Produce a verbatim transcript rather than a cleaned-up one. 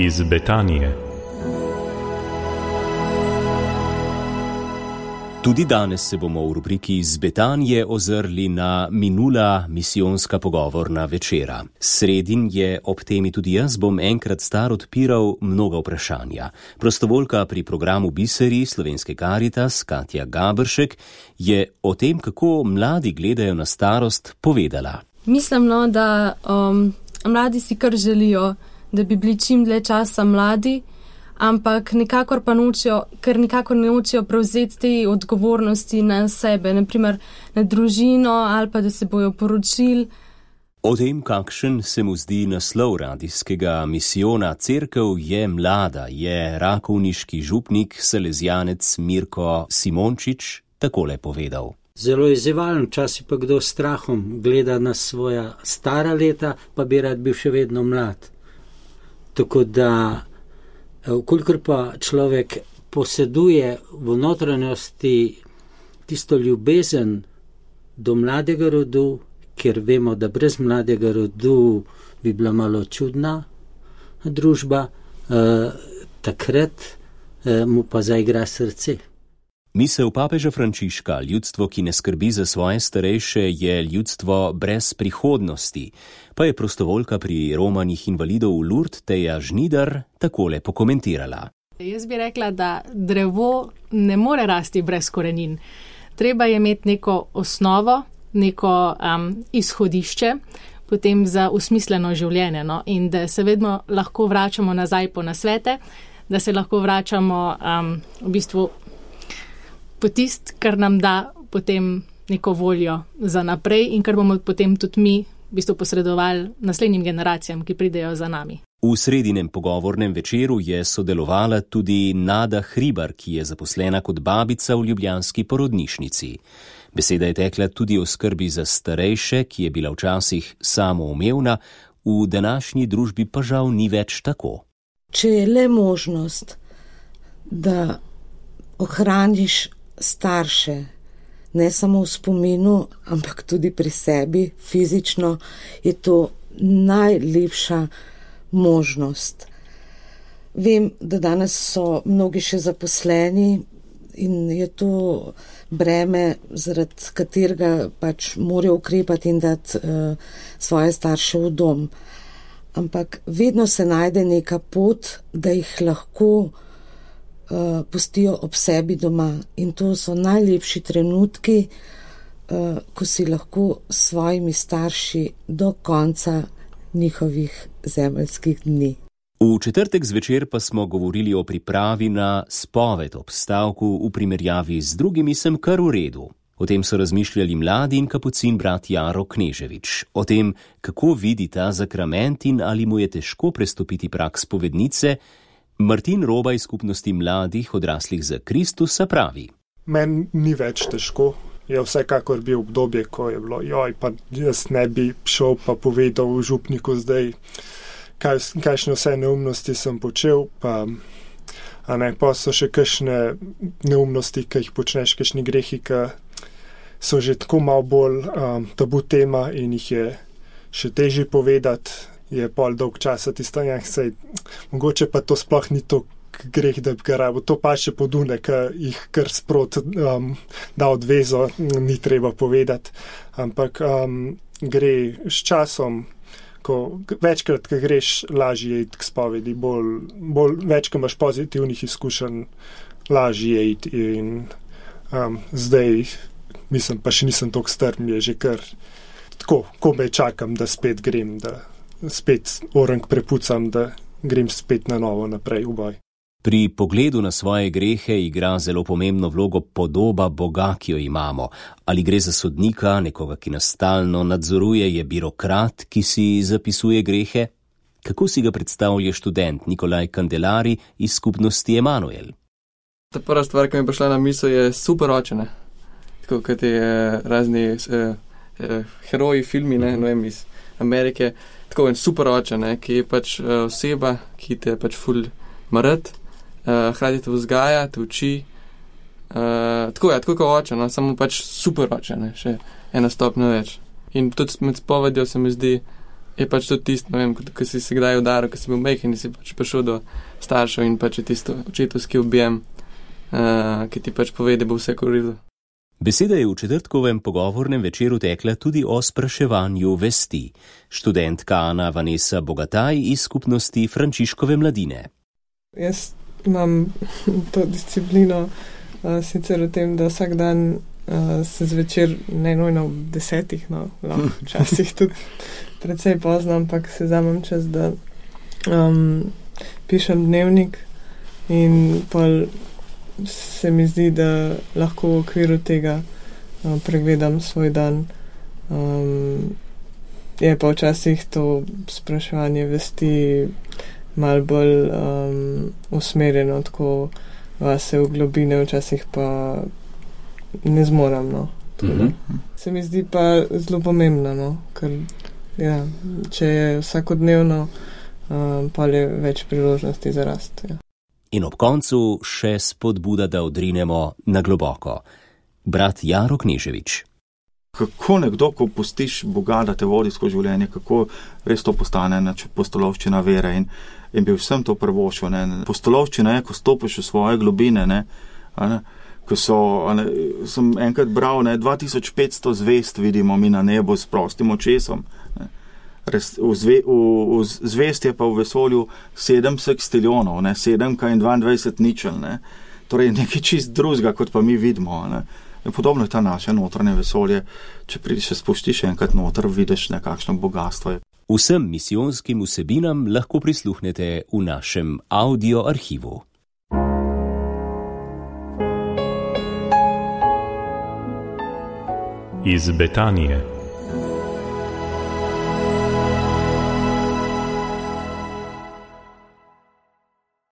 iz Betanije. Tudi danes se bomo v rubriki iz Betanije ozrli na minula misijonska pogovorna večera. Sredin je ob temi tudi jaz bom enkrat star odpiral mnoga vprašanja. Prostovoljka pri programu Biseri Slovenske Karitas, Katja Gabršek, je o tem, kako mladi gledajo na starost, povedala. Mislim, no, da um, mladi si kar želijo, da bi bili čim dlje časa mladi, ampak nikakor pa nočijo, ker nikakor ne nočijo prevzeti te odgovornosti na sebe, naprimer na družino ali pa da se bojo poročili. O tem, kakšen se mu zdi naslov radijskega misijona Cerkev je mlada, je rakovniški župnik, salezijanec Mirko Simončič takole povedal. Zelo izzivalen, včasih pa kdo s strahom gleda na svoja stara leta, pa bi rad bil še vedno mlad. Tako da, vkolikor pa človek poseduje v notranjosti tisto ljubezen do mladega rodu, ker vemo, da brez mladega rodu bi bila malo čudna družba, eh, takrat eh, mu pa zaigra srce. Misel papeža Frančiška, ljudstvo, ki ne skrbi za svoje starejše, je ljudstvo brez prihodnosti, pa je prostovoljka pri romanjih invalidov v Lourdes Teja Žnidar takole pokomentirala. Jaz bi rekla, da drevo ne more rasti brez korenin. Treba je imeti neko osnovo, neko um, izhodišče, potem za usmisleno življenje, no? In da se vedno lahko vračamo nazaj po nasvete, da se lahko vračamo um, v bistvu po tist, kar nam da potem neko voljo za naprej in kar bomo potem tudi mi v bistvu posredovali naslednjim generacijam, ki pridejo za nami. V sredinem pogovornem večeru je sodelovala tudi Nada Hribar, ki je zaposlena kot babica v ljubljanski porodnišnici. Beseda je tekla tudi o skrbi za starejše, ki je bila včasih samoumevna, v današnji družbi pa žal ni več tako. Če je le možnost, da ohraniš starše, ne samo v spominu, ampak tudi pri sebi, fizično, je to najlepša možnost. Vem, da danes so mnogi še zaposleni in je to breme, zaradi katerega pač morajo ukrepati in dati uh, svoje starše v dom. Ampak vedno se najde neka pot, da jih lahko Uh, pustijo ob sebi doma in to so najlepši trenutki, uh, ko si lahko s svojimi starši do konca njihovih zemeljskih dni. V četrtek zvečer pa smo govorili o pripravi na spoved ob stavku v primerjavi z drugimi sem kar v redu. O tem so razmišljali mladi in kapucin brat Jaro Kneževič. O tem, kako vidi ta zakrament in ali mu je težko prestopiti prag spovednice, Martin Roba iz skupnosti mladih odraslih za Kristusa pravi. Meni ni več težko. Je vsekakor bil obdobje, ko je bilo, joj, pa jaz ne bi šel pa povedal v župniku zdaj, kaj, kakšne vse neumnosti sem počel, pa, a ne, pa so še kakšne neumnosti, ki jih počneš, kakšni grehi, ki so že tako malo bolj um, tabu tema in jih je še težje povedati. Je pol dolg časa tisto, ja, sej, mogoče pa to sploh ni to greh, da bi ga rabo. To pa še podune, ki jih kar sprot um, da odvezo, ni treba povedati. Ampak um, gre s časom, ko večkrat, ko greš, lažje iti k spovedi, bolj, bolj več, ko imaš pozitivnih izkušenj, lažje iti in um, zdaj, mislim, pa še nisem toliko star, mi je že kar tako, ko me čakam, da spet grem, da spet orang prepucam, da grem spet na novo naprej v boj. Pri pogledu na svoje grehe igra zelo pomembno vlogo podoba Boga, ki jo imamo. Ali gre za sodnika, nekoga, ki nas stalno nadzoruje, je birokrat, ki si zapisuje grehe? Kako si ga predstavlja študent Nikolaj Kandelari iz skupnosti Emanuel? Ta prva stvar, ki mi je prišla na misel, je super očene. Tako kot je razni eh, eh, heroji filmi, ne, no vem, iz Amerike. Tako en super oče, ne, ki je pač uh, oseba, ki te pač ful marat, uh, hkrati te vzgaja, te uči. Uh, tako je, tako kot oče, no, samo pač super oče, ne, še ena stopnja več. In tudi med spovedjo se mi zdi, je pač to tisto, ne vem, ko si se kdaj udaril, ko si bil majhen in si pač prišel do staršev in pač je tisto očetovski objem, uh, ki ti pač pove, da bo vse korilo. Beseda je v četrtkovem pogovornem večeru tekla tudi o spraševanju vesti. Študentka Ana Vanessa Bogataj iz skupnosti Frančiškove mladine. Jaz imam to disciplino uh, sicer v tem, da vsak dan uh, se zvečer, ne nujno v desetih, no, lahko včasih tudi precej pozno, ampak se vzamem čas, da um, pišem dnevnik in pol se mi zdi, da lahko v okviru tega uh, pregledam svoj dan. Um, je pa včasih to spraševanje vesti malo bolj um, usmerjeno, tako vase v globine, včasih pa ne zmoram, no. Mm-hmm. Se mi zdi pa zelo pomembno, no, ker ja, če je vsakodnevno, um, pa je več priložnosti za rast. Ja. In ob koncu še spodbuda, da odrinemo na globoko. Brat Jaro Kneževič. Kako nekdo, ko pustiš Boga, da te vodi skozi življenje, kako res to postane postolovščina vere in, in bi vsem to prvošil. Postolovščina je, ko stopiš v svoje globine, ne, ne, ko so, ne, sem enkrat bral, ne, dva tisoč petsto zvest vidimo mi na nebu s prostim očesom. Ne. Res, v, zve, v, v zvest je pa v vesolju sedem sekstiljonov, ne, sedemka in dvaindvajset ničel, ne. Torej nekaj čist drugega, kot pa mi vidimo. Ne. Podobno je ta naše notranje vesolje, če prideš, spuštiš enkrat noter, vidiš nekakšno bogatstvo. Vsem misijonskim vsebinam lahko prisluhnete v našem audio arhivu. Iz Betanije.